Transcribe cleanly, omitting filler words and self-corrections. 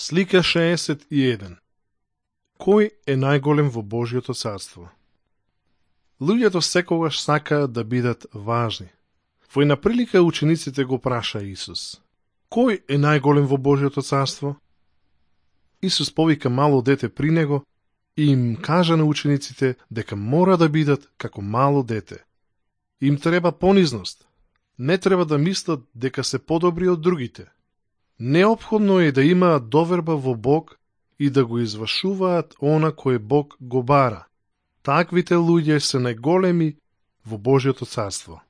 Слика 61. Кој е најголем во Божјото царство? Луѓето секогаш сакаат да бидат важни. Во една прилика учениците го праша Исус: Кој е најголем во Божјото царство? Исус повика мало дете при него и им кажа на учениците дека мора да бидат како мало дете. Им треба понизност. Не треба да мислат дека се подобри од другите. Неопходно е да имаат доверба во Бог и да го извршуваат она кој Бог го бара. Таквите луѓе се најголеми во Божјото царство.